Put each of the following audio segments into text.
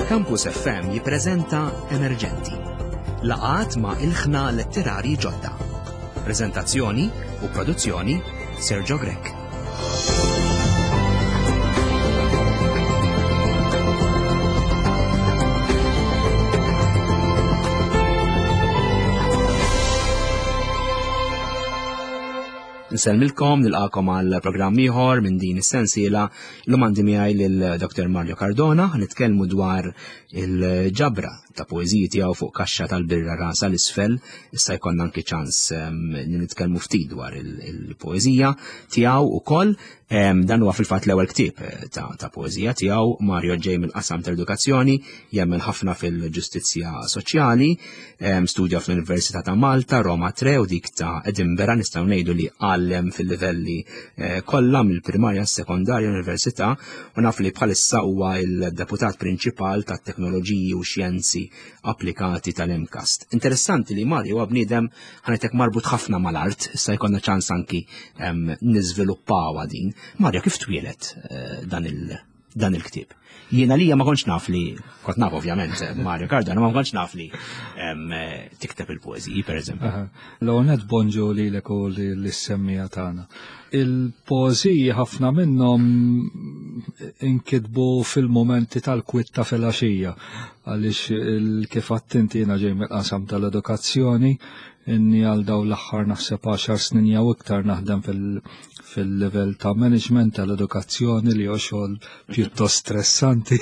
Campus FM jippreżenta Emerġenti. Laqat ma' ilħna letterari ġodda. Preżentazzjoni u produzzjoni Sergio Grech. Nsellmilkom, nilqakom għal programm ieħor minn din is-sensiela. Illum għandi miegħi lil Dr. Mario Cardona, nitkellmu dwar il-ġabra ta' poeżiji tiegħu fuq kaxxa tal-birra rasa l-isfel. Issa jkollna anki ċans ehm, li nitkellmu ftit dwar il-poeżija tiegħu ukoll. Ehm, dan huwa fil-fatt l-ewwel ktieb eh, ta', ta poeżija tiegħu Mario ġej mill-qasam tal-edukazzjoni, jemmen ħafna fil-ġustizzja soċjali, ehm, studja fl-Università ta' Malta, Roma 3 u dik ta' Edinburgh nistgħu ngħidu li għallem fil-livelli eh, kollha mill-primarja, s-sekondarja, l-università u naf li bħalissa huwa il-deputat prinċipal tat-teknoloġiji u xjenzi applikati tal-MCAST. Interessanti li Mario huwa bniedem ħanetek marbut ħafna mal-art, issa jkollna ċans anki niżviluppawha din. Mario, kif twielet eh, dan il- dan il-ktieb? Jiena lija ma kontx naf li, kont naf ovvjament eh, Mario Cardano, ma kontx naf li eh, tikteb il-poeżiji, per eżempju. L-għonet bonġu li l u li l-semmija tagħna. Il-poeżiji ħafna minnhom inkitbu fil-momenti tal-kwitta fil-għaxija għaliex kif għattinti jiena ġej mill-qasam tal-edukazzjoni inni għal daw l-aħħar naħseb 10 snin jew iktar naħdem fil-level ta' management tal-edukazzjoni li huwa xogħol pjuttost stressanti.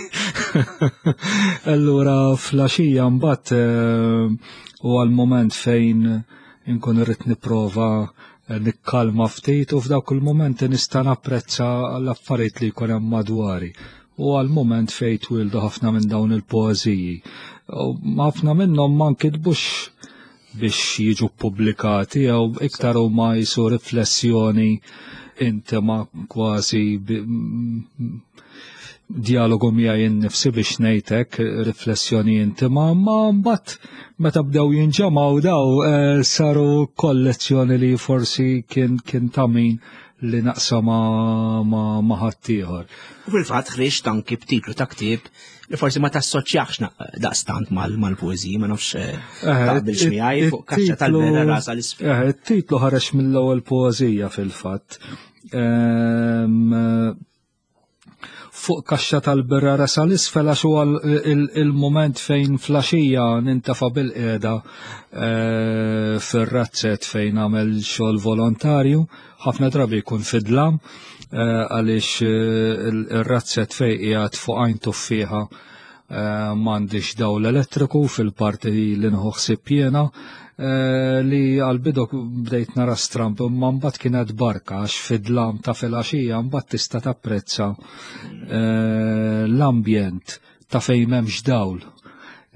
Allura fl-għaxija mbagħad eh, u għal moment fejn inkun irrid nipprova eh, nikkalma ftit u f'dawk il-momenti nista' napprezza l-affarijiet li jkun hemm madwari u għal moment fejn twildu ħafna minn dawn il-poeżiji. Ħafna minnhom ma nkitbux biex jiġu pubblikati jew iktar huma jisu riflessjoni intima kważi dialogu miegħi innifsi biex ngħidlek riflessjoni intima, ma mbagħad meta bdew jinġemgħu daw eh, saru kollezzjoni li forsi kien kien ta' min li naqsa ma, ma, ma ħaddieħor. U fil-fatt ħriġt anki b'titlu ta' ktieb li forsi ma tassoċjax daqstant mal-poeżiji, ma nafx eh, eh, taqbilx miegħi fuq kaxxa tal-vera rasa l-isfel. Eh, it-titlu ħareġ mill-ewwel poeżija fil-fatt. Ehm, fuq kaxxa tal-birra rasa l-isfel għax huwa il-moment fejn flaxija nintafa bil-qiegħda eh, fir-razzett fejn għamel xogħol volontarju, ħafna drabi jkun fidlam eh, għaliex eh, ir-razzett fejn qiegħed fuq għajn tuffieħa m'għandix dawl elettriku fil-parti li nħu ħsieb jiena eh, li għal-bidu bdejt nara stramp imma mbagħad kienet barka għax fid-dlam ta' filgħaxija mbagħad tista' tapprezza eh, l-ambjent ta' fejn m'hemmx dawl.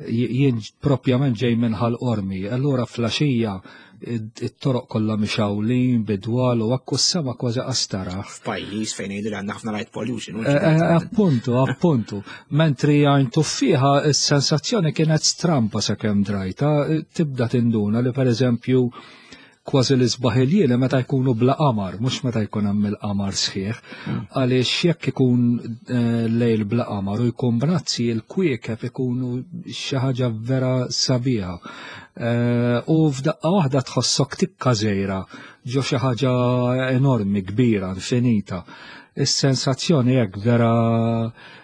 Jien propjament ġej minn ħal qormi, allura flaxija it-toroq kollha mixawlin bidwal u akku s-sema kważi qastara. F'pajjiż fejn jgħidu li għandna ħafna light pollution. Eh, eh, appuntu, appuntu. Mentri għajn tuffiħa s-sensazzjoni kienet strampa sakemm drajta, tibda tinduna li pereżempju kważi l-isbaħ il meta jkunu bla qamar, mhux meta jkun hemm il-qamar sħiħ, mm. għaliex jekk ikun eh, lejl bla qamar u jkun brazzi il-kwiekeb ikunu xi ħaġa vera sabiħa. Eh, u f'daqqa waħda tħossok tikka żejra ġo xi ħaġa enormi, kbira, infinita. Is-sensazzjoni hekk vera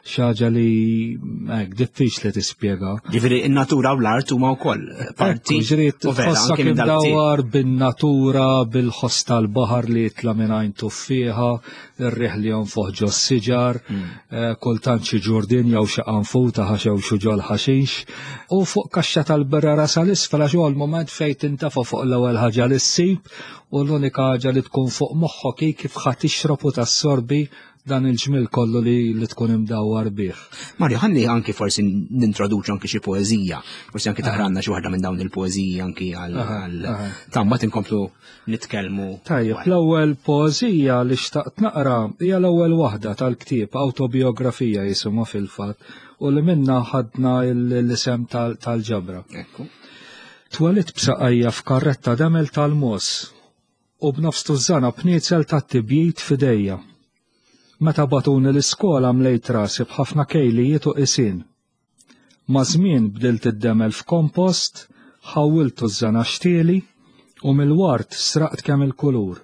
xi ħaġa li hekk diffiċli tispjega. Ġifieri in-natura u l-art huma wkoll parti. Ġifieri tħossok imdawwar bin-natura, bil-ħoss tal-baħar li jitla' minn għajn tuffieħa, ir-riħ li jonfoħ ġo siġar, hmm. eh, kultant xi ġurdin jew xi qanfuta ħaxew xi ġol ħaxix, u fuq kaxxa tal-birra rasa l-isfel għax huwa l-mument fejn tintafa' fuq l-ewwel ħaġa li ssib u l-unika ħaġa li tkun fuq moħħok hi kif ħa tixrob u tassorbi dan il-ġmil kollu li, li tkun imdawwar bih. Mario, ħalli anki forsi nintroduċu anki xi poeżija, forsi anki taqranna xi waħda minn dawn il-poeżiji anki għal tamma tinkomplu nitkellmu. Tajjeb, l-ewwel poeżija li xtaqt naqra hija l-ewwel waħda tal-ktieb Awtobiografija jisimha fil-fatt u li minna ħadna l-isem tal-ġabra. Ekku. Twelidt b'saqajja f'karretta demel tal-mogħoż u b'nofs tużżana bniezel tat-tibjid f'idejja. Meta bagħtuni l-iskola mlejt rasi b'ħafna kejlijiet u qisien. Maż-żmien bdilt id-demel f'kompost, ħawwiltu ż-żana xtieli u mill-ward sraqt kemm il-kulur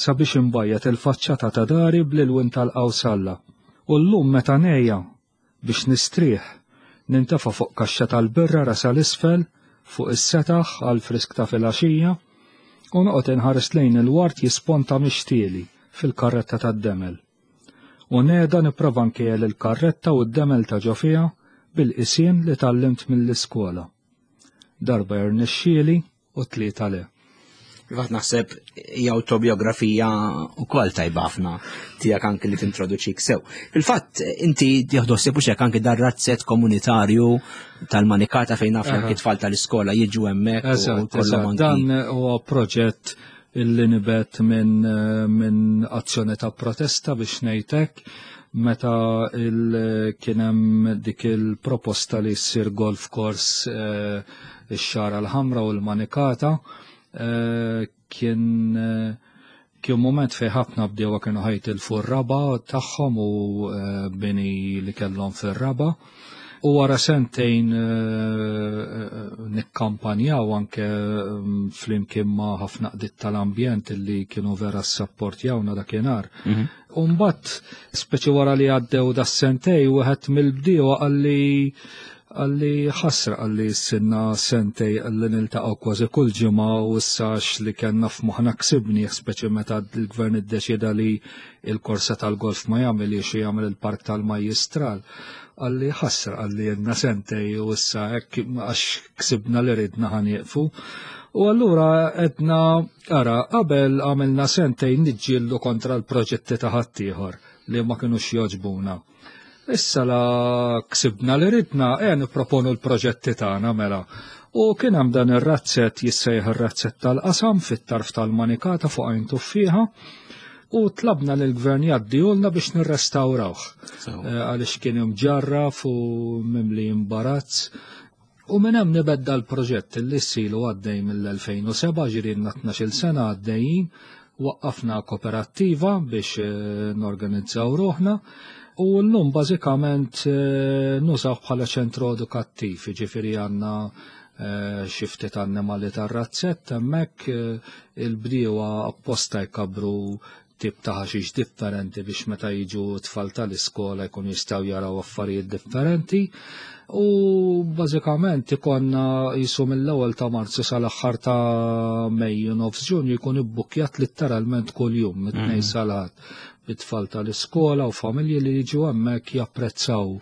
sabiex inbajjad il-faċċata ta' dari bl-ilwien tal-qawsalla. U llum meta ngħejja biex nistrieħ, nintefa' fuq kaxxa tal-birra rasha 'l isfel fuq is-setaħ għall-frisk ta' filgħaxija u noqgħod inħares lejn il-ward jisponta mix-xtieli fil-karretta tad-demel. U ngħeda nipprova nkejjel il-karretta u d-demel ta' ġo fiha bil-qisien li tgħallimt mill-iskola. Darba jirnexxieli u tlieta le. Fil-fatt naħseb hija autobiografija wkoll tajba ħafna tiegħek anki li tintroduċik sew. Fil-fatt inti tieħdu ħsieb hekk anki dar razzett komunitarju tal-manikata fejn naf anki tfal tal-iskola jiġu hemmhekk. Eżatt, dan huwa proġett illi nibet minn min azzjoni ta' protesta biex ngħidlek meta kien hemm dik il-proposta li ssir golf course eh, ix-xara l-ħamra u l-manikata eh, kien eh, kien moment fej ħafna bdewa kienu ħajtilfu r-raba tagħhom u eh, bini li kellhom fir-raba. U wara sentejn nikkampanjaw anke mm, flimkien ma' ħafna qdiet tal-ambjent li kienu vera s-sapportjawna dakinhar. Mhm. U mbagħad speċi wara li għaddew das-sentej wieħed mill-bdiewa qalli qalli ħasra qalli sinna sentej qalli niltaqgħu kważi kull ġimgħa u issa li kellna f'moħħna ksibni speċi meta l-gvern iddeċieda li il-korsa tal-golf ma jagħmilx u jagħmel il-park tal-Majjistral. Qalli ħasra qalli jenna sentej u issa hekk għax ksibna li ridna ħanieqfu. U allura edna Ara, qabel għamilna sentejn niġġieldu kontra l-proġetti ta' ħaddieħor li ma kinux jogħġbuna. Issa la ksibna li ridna, e nipproponu l-proġetti tagħna mela. U kien hemm dan ir-razzett jissejjaħ ir-razzett tal-qasam fit-tarf tal-manikata fuq għajn tuffieħa u tlabna lill gvern jgħaddihulna biex nirrestawrawh. Eh, għaliex kien imġarraf u mimli imbarazz. U minn hemm nibed dal-proġett li ssilu għaddej mill-2007, ġirinna 12-il sena għaddejjin, waqqafna koperattiva biex eh, norganizzaw ruħna u llum bażikament eh, nużaw bħala ċentru edukattiv, ġifieri għandna eh, xi ftit annimali tar-razzett hemmhekk il-bdiewa apposta jkabru tip ta' ħaxix differenti biex meta jiġu tfal tal-iskola jkunu jistgħu jaraw affarijiet differenti. U bażikament ikonna jisu mill-ewwel ta' Marzu sal-aħħar ta' Mejju nofs Ġunju jkun ibbukkjat litteralment kuljum mit-tnejn mm. sal-ħadd bit-tfal tal-iskola u familji li jiġu hemmhekk japprezzaw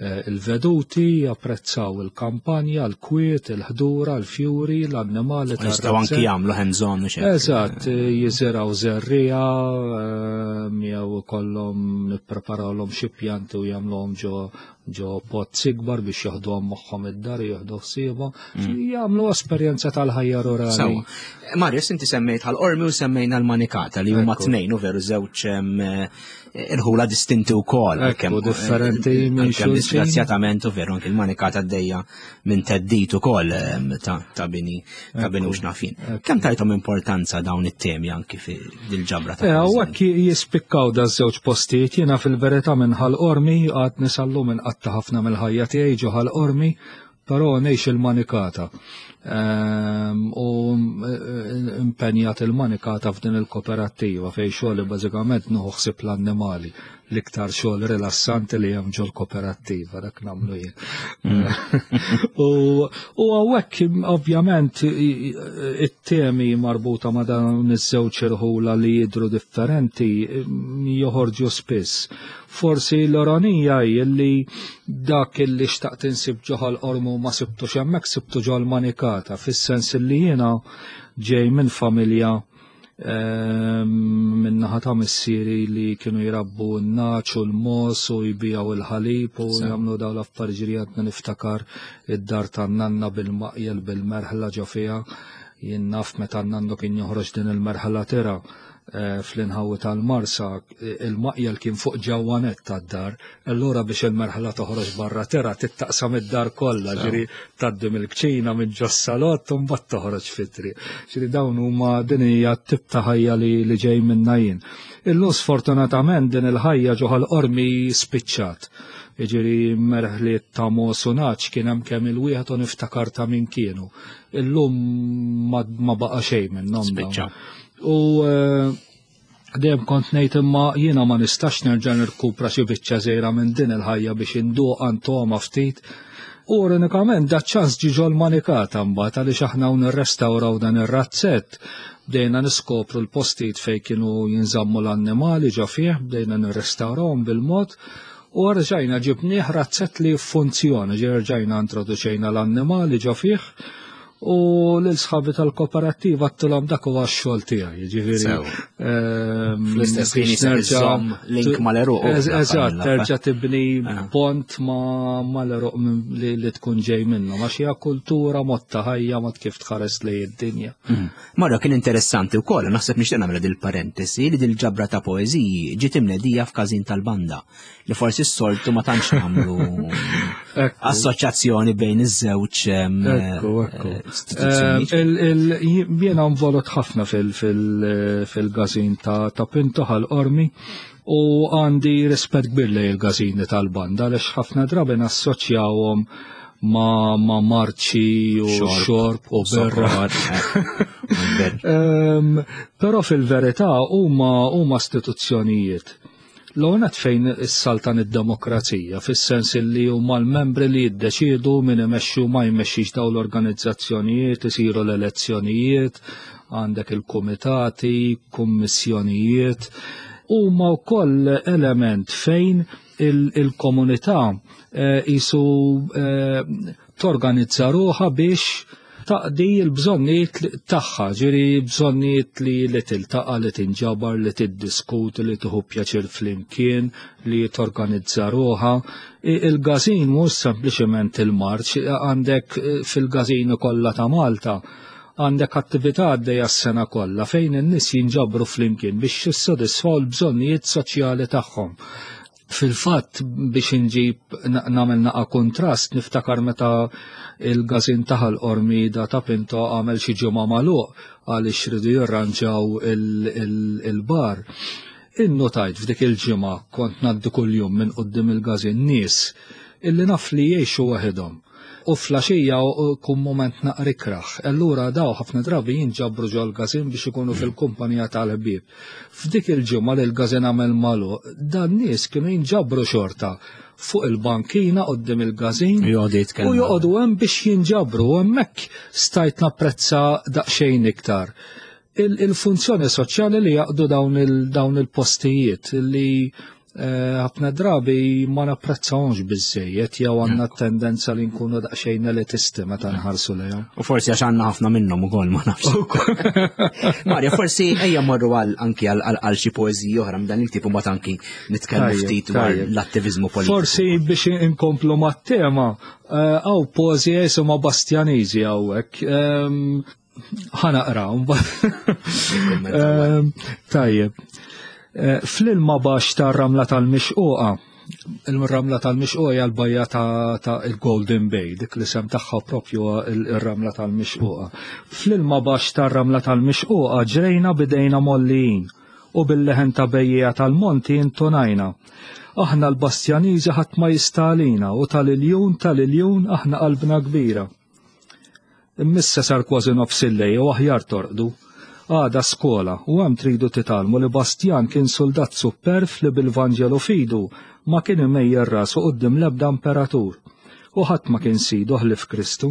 Eh, il-veduti, japprezzaw il-kampanja, l-kwiet, il-ħdura, l-fjuri, l-annimali. Jistgħu anki jagħmlu hands-on u xejn. Eżatt, eh, jiżiraw żerrija, eh, jew ikollhom nippreparawlhom xi pjanti u jagħmluhom ġo ġo pot ikbar biex jaħduhom magħhom id-dar jieħdu ħsiebhom. Mm. Jagħmlu esperjenza tal-ħajja rurali. Marius, inti semmejt ħal-qormi u semmejna l-manikata li huma tnejn u veru żewġ irħula distinti wkoll. Ekku, differenti eh, minn xulxin. Disgrazzjatament u veru anke l-manikata għaddejja minn teddit ukoll ta' bini ta' bini u xnafin. Kemm tajthom importanza dawn it-temi anki fil-ġabra ta' eh, Hawnhekk jispikkaw da żewġ postijiet jiena fil-verità minn ħal-qormi għad nisallu minn qatta ħafna mill-ħajja tiegħi ġo ħal-qormi Però ngħix il-manikata. Ehm, u eh, impenjat il-manikata f'din il-koperattiva fejn xogħli bażikament nieħu ħsieb l-annimali l-iktar xogħol rilassanti li hemm ġol koperattiva dak nagħmlu jien. Mm. U hawnhekk ovvjament it-temi marbuta ma' dawn iż-żewġ irħula li jidhru differenti joħorġu spiss. Forsi l-ironija hi li dak li xtaqt insib ġo Ħal-Qormu ma sibtux hemmhekk sibtu ġol-Manikata, fis-sens li jiena ġej minn familja ehm, minn naħa ta' missieri li kienu jrabbu n-naċ u l-mos u jbijaw il-ħalib u jagħmlu dawn l-affarijiet li għadna niftakar id-dar tan-nanna bil-maqjel bil-merħla ġo fiha. Jien naf meta n-nannu kien joħroġ din il-merħla tira. fl-inħawi tal-Marsa il-maqjel kien fuq ġewwa nett tad-dar, allura biex il-merħla toħroġ barra tera tittaqsam id-dar kollha, ġiri tgħaddi mill-kċina minn ġos-salott u mbagħad toħroġ fit-triq. Ġiri dawn huma din hija t-tip ta' ħajja li ġej minnha jien. Illum sfortunatament din il-ħajja ġo Ħal Qormi spiċċat. Jiġifieri merħliet ta' mogħoż u nagħaġ kien hemm kemm il-wieħed u niftakar ta' min kienu. Illum ma baqa' xejn minnhom. Spiċċaw. U eh, dejjem kont ngħid imma jiena ma nistax nerġa' nirkupra xi biċċa żgħira minn din il-ħajja biex induq antoma ftit. U ironikament da ċans ġi ġol manikata mbagħad għaliex aħna hawn nirrestawraw dan ir-razzett bdejna niskopru l-postijiet fejn kienu jinżammu l-annimali ġo fih, bdejna nirrestawrawhom bil-mod u rġajna ġibnieh razzett li jiffunzjona, ġi rġajna introduċejna l-annimali ġo fih u lil sħabi tal-kooperattiva għattilhom dak huwa x-xogħol tiegħi, jiġifieri. Ehm, Fl-istess ħin nerġa' link mal-eruq. Eżatt, terġa' tibni ah. pont ma mal-eruq li tkun ġej minnhom għax hija kultura mod ta' ħajja mod kif tħares lejn id-dinja. Mm. Marra kien interessanti wkoll, naħseb nixtieq nagħmel dil-parentesi li dil-ġabra ta' poeżiji ġiet imnedija f'każin tal-banda. li forsi s-soltu ma tantx nagħmlu assoċjazzjoni bejn iż-żewġ Ekku, ekku. Eh, jiena involut ħafna fil-gazin ta' Pinto ħal-Qormi u għandi rispett kbir lejn il-gazini tal-banda għaliex ħafna drabi nassoċjawhom ma, ma marċi u xorb u berra. Eh, però fil-verità huma huma istituzzjonijiet L-ewwel nett fejn issaltan id-demokrazija, fis-sens illi huma l-membri li jiddeċiedu min imexxi u ma jmexxix dawn l-organizzazzjonijiet, isiru l-elezzjonijiet, għandek il-kumitati, kummissjonijiet. Huma wkoll element fejn il-komunità eh, jisu eh, torganizza ruħha biex taqdi l-bżonnijiet tagħha, ġiri bżonnijiet li li tiltaqa' li tinġabar, li tiddiskuti, li tieħu pjaċir flimkien, li torganizza ruħha. Il-gazin mhux sempliċement il-marċ, għandek eh, fil-gazin kollha ta' Malta għandek attività għaddejja s-sena kollha fejn in-nies jinġabru flimkien biex jissodisfaw l-bżonnijiet soċjali tagħhom. Fil-fatt biex inġib nagħmel naqa' kontrast niftakar meta il-gazin ta' Ħal Qormi da ta' Pinto għamel xi ġimgħa magħluq għaliex ridu jirranġaw il-bar. Innotajt f'dik il-ġimgħa kont ngħaddi kuljum minn quddiem il-gazin nies illi naf li jgħixu waħedhom. U flaxija kun moment naqra ikrah. Allura daw ħafna drabi jinġabru ġol-gazin biex ikunu fil-kumpanija tal-ħbieb. F'dik il-ġimgħa li l-gazin għamel magħluq, dan nies kienu jinġabru xorta fuq il-bankina qoddim il-gazin u joqogħdu hemm biex jinġabru u hemmhekk stajt napprezza daqsxejn iktar il-funzjoni soċjali li jaqdu dawn il-postijiet li eh, ħafna drabi ma napprezzawhomx biżejjed jew għandna tendenza li nkunu daqsxejn elitisti meta nħarsu lejhom. U forsi għax għandna ħafna minnhom ukoll ma nafx. Mario, forsi ejja morru għal anki għal xi poeżiji oħra minn dan il-tip u mbagħad anki nitkellmu ftit dwar l-attiviżmu politiku. Forsi biex inkomplu mat-tema, eh, għaw poeżija jisimha Bastjaniżi hawnhekk. Ehm, ħanaqra, ehm, Tajjeb. Eh, fl-ilma baxx tar-ramla tal-mixquqa, il-ramla tal-mixquqa hija l-bajja ta' il-Golden Bay, dik li sem tagħha propju il-ramla tal-mixquqa. Fl-ilma baxx tar-ramla tal-mixquqa ġrejna bidejna mollijin u bil-leħen ta' bejjiegħa tal-monti intonajna. Aħna l-Bastjaniżi ħadd ma jista' għalina u tal-iljun tal-iljun aħna qalbna kbira. Imma issa sar kważi nofs il-lejl u aħjar torqdu. Għada skola u hemm tridu titgħallmu li Bastjan kien suldat supperv li bil-Vanġelu f'idu ma kien imejjel rasu quddiem l-ebda imperatur. U ħadd ma kien sidu ħlief Kristu.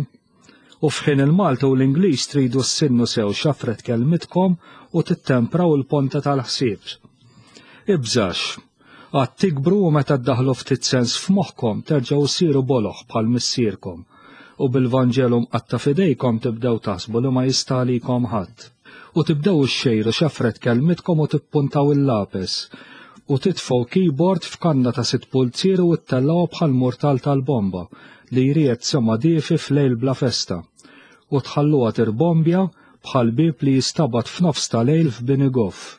U f'ħin il-Malti u l-Ingliż tridu ssinnu sew xafret kelmitkom u tittempraw il-ponta tal-ħsieb. Ibżax. Għad tikbru u meta ddaħħlu ftit sens f'moħħkom terġgħu ssiru boloh bħal missierkom, u bil-Vanġelu mqatta' f'idejkom tibdew taħsbu li ma jista' għalikom ħadd. U tibdew ixxejru xafret kelmitkom u tippuntaw il-lapes, u titfgħu keyboard f'kanna ta' sitt pulzieri u ttellgħuha bħal murtal tal-bomba li jriegħed sema diefi f'lejl bla festa, u tħalluha tirbombja bħal bieb li jistabat f'nofs ta' lejl f'bini goff.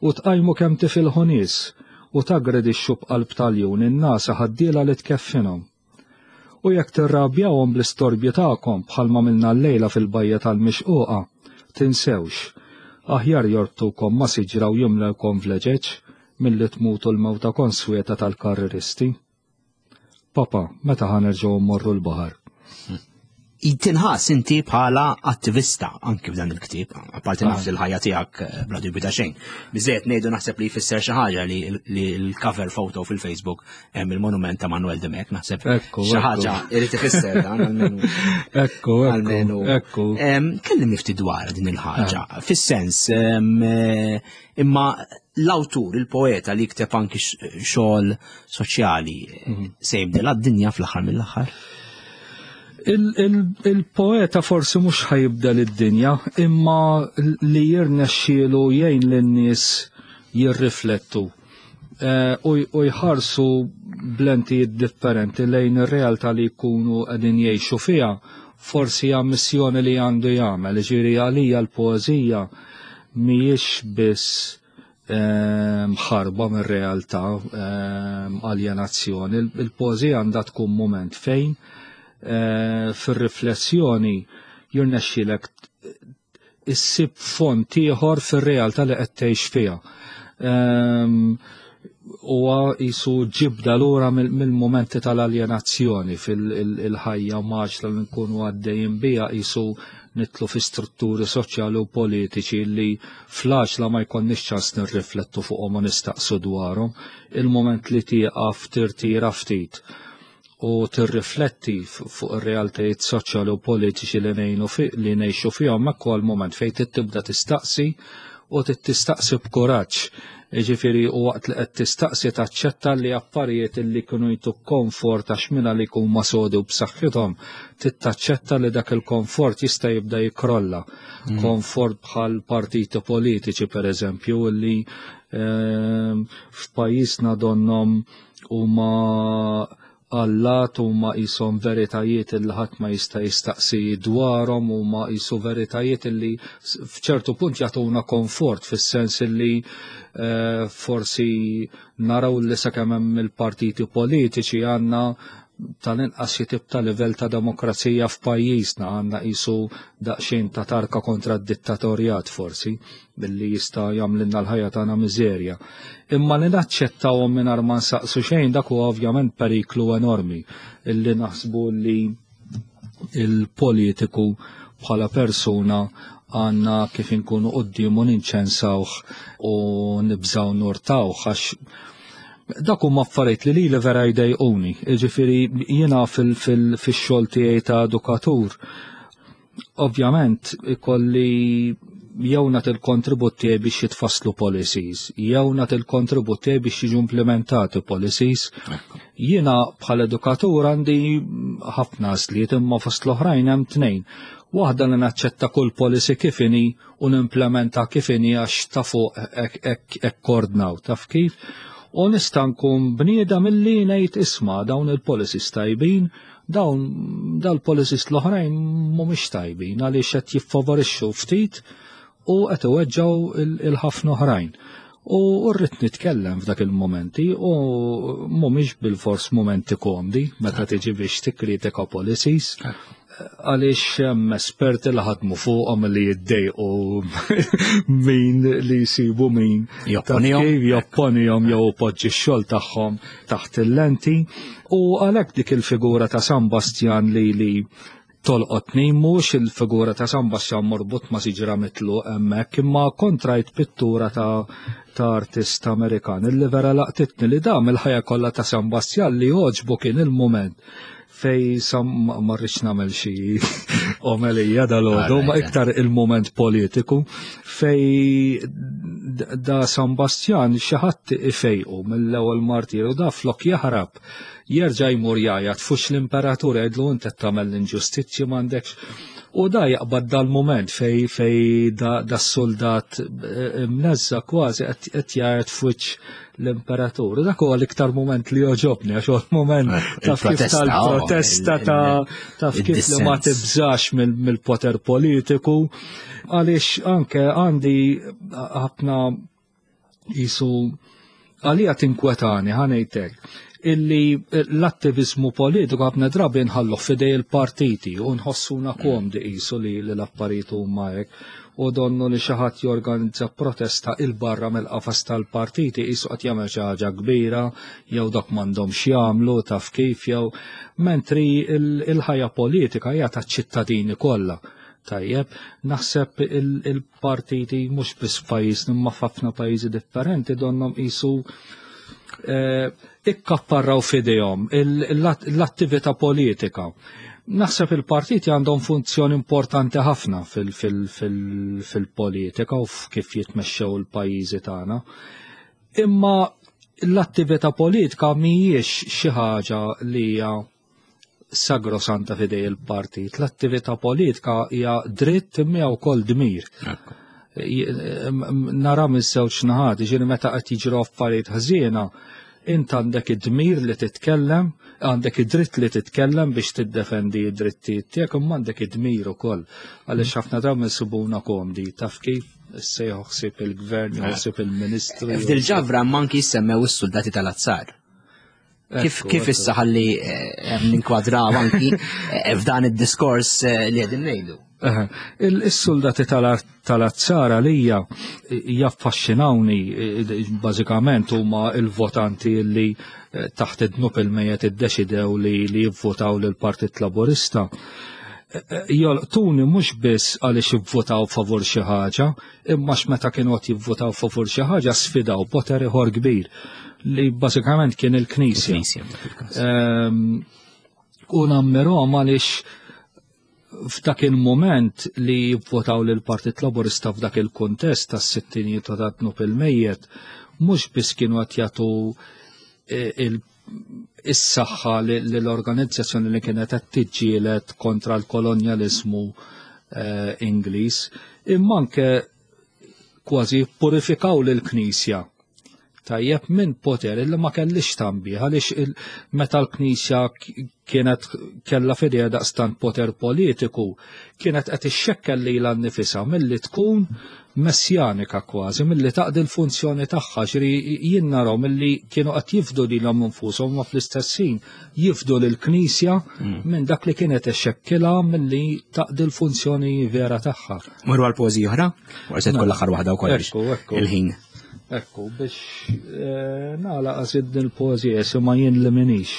U tqajmu kemm tifilħu nies, u taggredixxu b'qalb ta' ljun in-nagħsa ħaddiela li tkeffinhom. U jekk tirrabjawhom bl-istorbju tagħkom bħalma għamilna llejla fil-bajja tal-Mixquqa, tinsewx, aħjar jorbtukom ma' siġra u jimlewkom vleġeġ milli tmutu l-mewta konsweta tal-karriristi. Papa, meta ħa nerġgħu mmorru l-baħar? Tinħass inti bħala attivista anki f'dan il-ktieb, apparti naf li l-ħajja tiegħek eh, bla dubju ta' xejn. Biżejjed ngħidu naħseb li jfisser xi ħaġa li l-cover photo fil-Facebook hemm il-monument ta' Manuel Demek, naħseb xi ħaġa irid ifisser dan almenu. Ekku, almenu. Ekku. Kellimni ftit dwar din il-ħaġa, ah. fis-sens eh, imma l-awtur, il-poeta li jikteb anki xogħol soċjali mhm. se jibdel għad-dinja fl-aħħar mill-aħħar? Il-poeta forsi mhux ħajibdel id-dinja, imma li jirnexxielu jgħin lin-nies jirriflettu eh, u jħarsu blentijiet differenti lejn ir-realtà li jkunu qegħdin jgħixu fiha, forsi hija missjoni li għandu jagħmel, ġieri għalija l-poeżija mhijiex biss Ehm, ħarba mir-realtà, ehm, aljenazzjoni. Il-poeżija għandha tkun moment fejn eh, fir-riflessjoni jirnexxilek issib font ieħor fir-realtà li qed tgħix fiha. Ehm, huwa jisu ġibda lura mill-momenti tal-aljenazzjoni fil-ħajja maġla li nkunu għaddejjin bija jisu nitlu fi strutturi soċjali u politiċi li fl-għaġla ma jkollniex ċans nirriflettu fuqhom u nistaqsu dwarhom. Il-moment li tieqaf tirtira ftit u tirrifletti fuq ir-realtajiet soċjali u politiċi li ngħinu li ngħixu fihom hekk huwa l-mument fejn tibda tistaqsi u tistaqsi b'kuraġġ. Jiġifieri u waqt li qed tistaqsi taċċetta li affarijiet li kienu jtuk komfort għax minna li jkun ma sodi u b'saħħithom, tittaċċetta li dak il-komfort jista' jibda jikrolla. Mm. Komfort bħal partiti politiċi per eżempju li ehm, f'pajjiżna donnom huma allat huma qishom veritajiet illi ħadd ma jista' jistaqsi dwarhom huma qisu veritajiet illi f'ċertu punt jagħtuna komfort fis-sens illi eh, forsi naraw li sakemm hemm il-partiti politiċi għandna tal-inqas xi tip ta' livell ta' demokrazija f'pajjiżna għandna qisu daqsxejn ta' tarka kontra d-dittatorjat forsi billi jista' jagħmlilna l-ħajja tagħna miżerja. Imma li naċċettawhom mingħajr ma nsaqsu xejn dak huwa ovvjament periklu enormi illi naħsbu li il-politiku bħala persuna għanna kif inkunu qoddimu ninċensawh u nibżaw nurtawh għax dak huma affarijiet li lili vera jdejquni. Jiġifieri jiena fil-xogħol tiegħi ta' edukatur Ovvjament ikolli jew nagħti l-kontribut tiegħi biex jitfasslu policies, jew nagħti l-kontribut tiegħi biex jiġu implementati policies. Jiena bħala edukatur għandi ħafna għażliet imma fost l-oħrajn hemm tnejn. Waħda li naċċetta kull policy kif inhi u nimplementa kif inhi għax ta' fuq hekk ordnaw, taf kif? U nista' nkun bniedem illi ngħid isma' dawn il-policies tajbin, Dawn dal-policies l-oħrajn mhumiex tajbin għaliex qed jiffavorixxu ftit u qed iweġġgħu il-ħafna oħrajn. U rrid nitkellem f'dak il-momenti u mhumiex bil-fors momenti komdi meta tiġi biex tikkritika policies għaliex hemm esperti li ħadmu fuqhom li jiddejqu min li jsibu min jopponihom jew poġġi x-xogħol tagħhom taħt il-lenti u għalhekk dik il-figura ta' San Bastjan li li tolqotni mhux il-figura ta' San Bastjan morbut ma' siġra mitlu hemmhekk imma kontrajt pittura ta' ta' artist Amerikan illi vera laqtitni li dam il-ħajja kollha ta' San Bastjan li għoġbu kien il-mument fej sam ma rridx nagħmel xi omelija dal-għodu, ma iktar il-moment politiku fej da San Bastjan xi ħadd ifejqu mill-ewwel martiru da flok jaħrab jerġa' jmur jgħajjat fux l-imperatur jgħidlu inti qed tagħmel l-inġustizzji m'għandekx. U da jaqbad dal-moment fej fej da, da soldat eh, mneżża kważi qed jgħajjat fuċ l-imperatur. Dak huwa l-iktar moment li joġobni, għax huwa l-moment eh, taf kif tal-protesta oh, ta' taf kif li ma tibżax mill-poter politiku, għaliex anke għandi ħafna Jisu għalija tinkwetani ħanejtek illi l-attivizmu politiku ħafna drabi nħallu fidej il-partiti u nħossuna komdi qisu li l-affarijiet huma hekk u donnu li xi ħadd jorganizza protesta il barra mill-qafas tal-partiti qisu qed jagħmel xi ħaġa kbira jew dak m'għandhomx jagħmlu taf kif jew mentri il-ħajja politika hija taċ-ċittadini kollha. Tajjeb, naħseb il-partiti mhux biss f'pajjiżna imma f'ħafna pajjiżi differenti donnhom qisu eh, ikkapparraw f'idejhom l-attività politika. Naħseb il-partiti għandhom funzjoni importanti ħafna fil-politika u kif jitmexxew il-pajjiżi tagħna. Imma l-attività politika mhijiex xi ħaġa li hija sagrosanta fidej il-partit. L-attività politika hija dritt imma wkoll dmir. Nara miż-żewġ naħat, ġieli meta qed jiġru affarijiet ħżiena, int għandek id-dmir li titkellem, għandek id-dritt li titkellem biex tiddefendi id-drittijiet tiegħek, imma għandek id-dmir ukoll. Għaliex ħafna drabi nsibuna komdi, taf kif issa ħsieb il-gvern, ħsieb il-ministru. F'dil ġabra manki semmew is-soldati tal-azzar. Kif kif issa ħalli eh, ninkwadraw anki eh, f'dan id-diskors eh, li qegħdin ngħidu? Il-soldati tal-azzara li hija jaffaxxinawni bażikament huma il-votanti li taħt id-dnub il-mejet iddeċidew li jivvotaw lill-Partit Laburista. Jolqtuni mhux biss għaliex ivvotaw favur xi ħaġa, imma meta kienu qed jivvotaw favur xi ħaġa sfidaw poter ieħor kbir li bażikament kien il-Knisja. Ehm, u nammirhom għaliex f'dak il-moment li jivvotaw lil Partit Laburista f'dak il-kuntest tas-sittinijiet ta' dnub il-mejjet, mhux biss kienu qed jagħtu e, is-saħħa l-organizzazzjoni li kienet qed tiġġieled kontra l-kolonjaliżmu eh, Ingliż, imma anke kważi purifikaw lill-Knisja tajjeb minn poter illi ma kellix tambi għaliex meta l-Knisja kienet kella fidejha daqstant poter politiku kienet qed ixxekkel lilha nnifisha milli tkun messjanika kważi, milli taqdi l-funzjoni tagħha, ġri jien narahom milli kienu qed jifdu lilhom infushom ma fl-istess ħin jifdu lill-Knisja mm. minn dak li kienet ixxekkilha milli taqdi l-funzjoni vera tagħha. Morru għal poeżija oħra? Forse tkun mela. l-aħħar waħda wkoll il-ħin. Ekku, biex eh, nagħlaq għażid din il-poeżija ma jien li minix.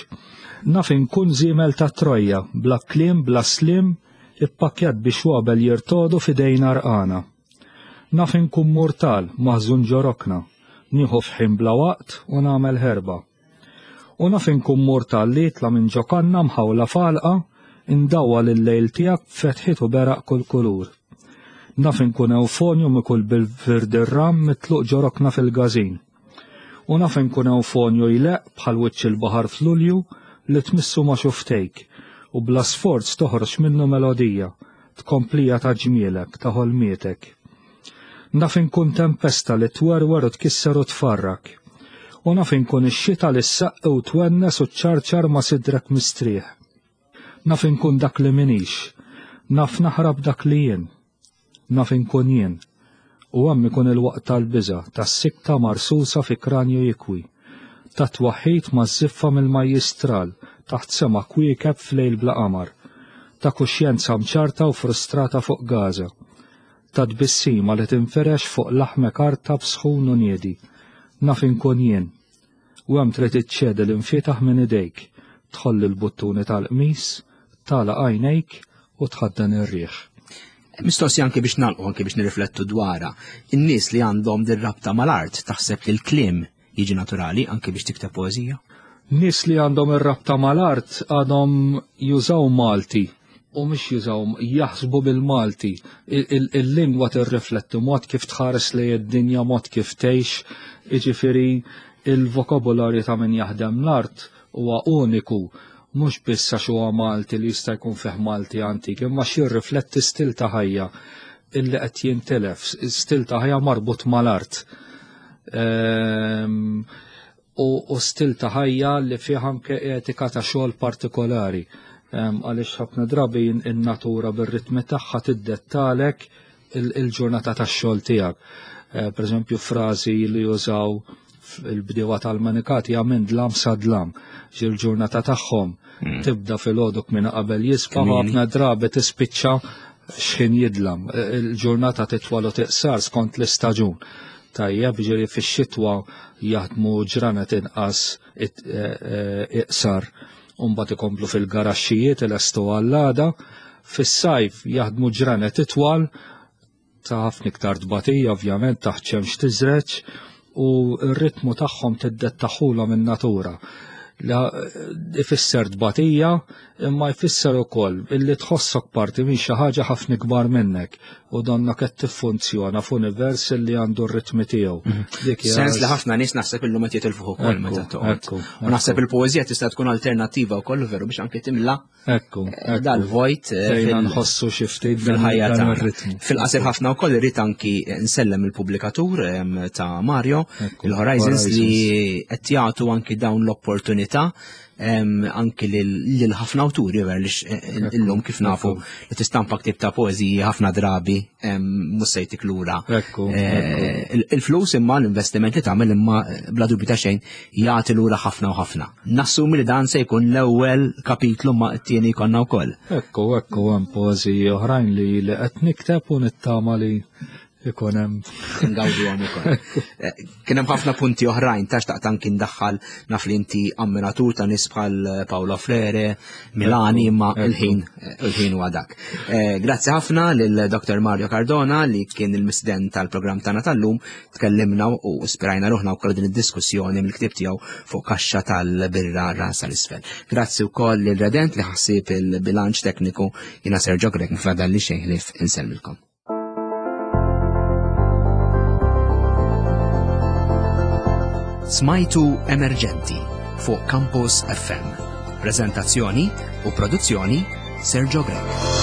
Naf inkun żiemel ta' Trojja, bla kliem, bla slim, ippakkjat bi xwabel jirtodu f'idejn għarqana. Naf inkun murtal, maħżun ġo rokna, nieħu f'ħin bla waqt u nagħmel ħerba. U naf inkun murtal li jitla' minn ġo kanna mħawla f'għalqa, indawwal il-lejl tiegħek b'fetħiet u beraq kull kulur. Naf inkun ewfonju mikul bil-virdirram mitluq ġo rokna fil-gażin. U naf inkun ewfonju jleqq bħal wiċċ il-baħar f'Lulju li tmissu ma' xufftejk u bla sforz toħroġ minnu melodija, tkomplija ta' ġmielek, ta' ħolmietek. Naf inkun tempesta li twerwer u tkisser u tfarrak. U naf inkun ix-xita li ssaqqi u twennes u ċċarċar ma' sidrek mistrieħ. Naf inkun dak li m'iniex. Naf naħrab dak li jien. Naf inkun jien. U hemm ikun il-waqt tal-biża', tas-sikta marsusa fi kranju jikwi, tat-twaħħid maż-żiffa mill-majjistral taħt sema kwiekeb f'lejl bla qamar, ta' kuxjenza mċarta u frustrata fuq Gaza, ta' tbissima li tinfirex fuq laħmek artab sħun u niedi. Naf inkun jien. U hemm trid iċċedi l-imfietaħ minn idejk, tħoll il-buttuni tal-qmis, tagħlaq għajnejk u tħaddan ir-riħ. Mistoqsija anke biex nagħlqu anke biex nirriflettu dwarha. In-nies li għandhom din rabta mal-art taħseb li l-kliem jiġi naturali anke biex tikteb poeżija? Nies li għandhom ir-rabta mal-art għadhom jużaw Malti u mhux jużaw jaħsbu bil-Malti. Il-lingwa tirrifletti mod kif tħares lejn id-dinja, mod kif tgħix, jiġifieri il-vokabularju ta' min jaħdem l-art huwa uniku mhux biss għax huwa Malti li jista' jkun fih Malti antik, imma x'jirrifletti stil ta' ħajja illi qed jintilef, stil ta' ħajja marbut mal-art. Ehm, u stil ta' ħajja li fih anke etika ta' xogħol partikolari. Ehm, għaliex ħafna drabi in-natura bir-ritmi tagħha tiddettalek il-ġurnata tax-xogħol tiegħek. Eh, per eżempju, frażi li jużaw il-bdiewa tal-manikat hija minn dlam sa dlam. Ġil-ġurnata tagħhom hmm. tibda fil-għodok minn qabel jisfa' ħafna drabi tispiċċa x'ħin jidlam. Il-ġurnata titwal u tiqsar skont l-istaġun. Tajjeb, ġiri fix-xitwa jaħdmu ġranet inqas e, e, iqsar u mbagħad ikomplu fil-garaxxijiet ilestu għall-għada. Fis-sajf jaħdmu ġranet itwal ta' ħafna iktar tbatija ovvjament taħt xemx tiżreġ u r-ritmu tagħhom tiddettaħulhom in-natura. Ifisser tbatija imma jfisser ukoll illi tħossok parti minn xi ħaġa ħafna ikbar minnek u donna qed tiffunzjona f'univers illi għandu r-ritmi tiegħu. Mhm. Sens li ħafna nies naħseb illum qed jitilfuh ukoll meta toqgħod. U naħseb il-poeżija tista' tkun alternattiva wkoll veru biex anke timla Ekku, eh, dal-vojt eh, fejn nħossu xi ftit fil-ħajja tagħna. Fil-qasir ħafna wkoll irrid anki nsellem il-pubblikatur ta' Mario, il-Horizons li qed jagħtu anki dawn l-opportunità anki lil ħafna awturi ver li eh, illum kif nafu li tistampa ktib ta' poeżiji ħafna drabi mhux se jtik lura. Il-flus imma l-investiment li tagħmel imma bla dubju ta' xejn jagħti lura ħafna u ħafna. Nassumi li dan se jkun l-ewwel kapitlu ma t-tieni jkollna wkoll. Ekku, ekku, hemm poeżiji oħrajn li li qed nikteb u nittama li ikun hemm. Ngawdu għam ukoll. Eh, kien hemm ħafna punti oħrajn ta' xtaqt anki ndaħħal naf li inti ammiratur ta' nies bħal Paolo Frere, Milani imma il-ħin il-ħin huwa dak. Eh, grazzi ħafna lil Dr. Mario Cardona li kien il-misden tal-programm tagħna tal-lum tkellimna u ispirajna ruħna wkoll din id-diskussjoni mill-ktieb tiegħu fuq kaxxa tal-birra rasa l-isfel. Grazzi wkoll lil Redent li ħassib il-bilanċ tekniku jiena Sergio Grek mfadal li xejn ħlief insellmilkom. Smajtu Emerġenti fuq Campus FM. Prezentazzjoni u produzzjoni Sergio Grek.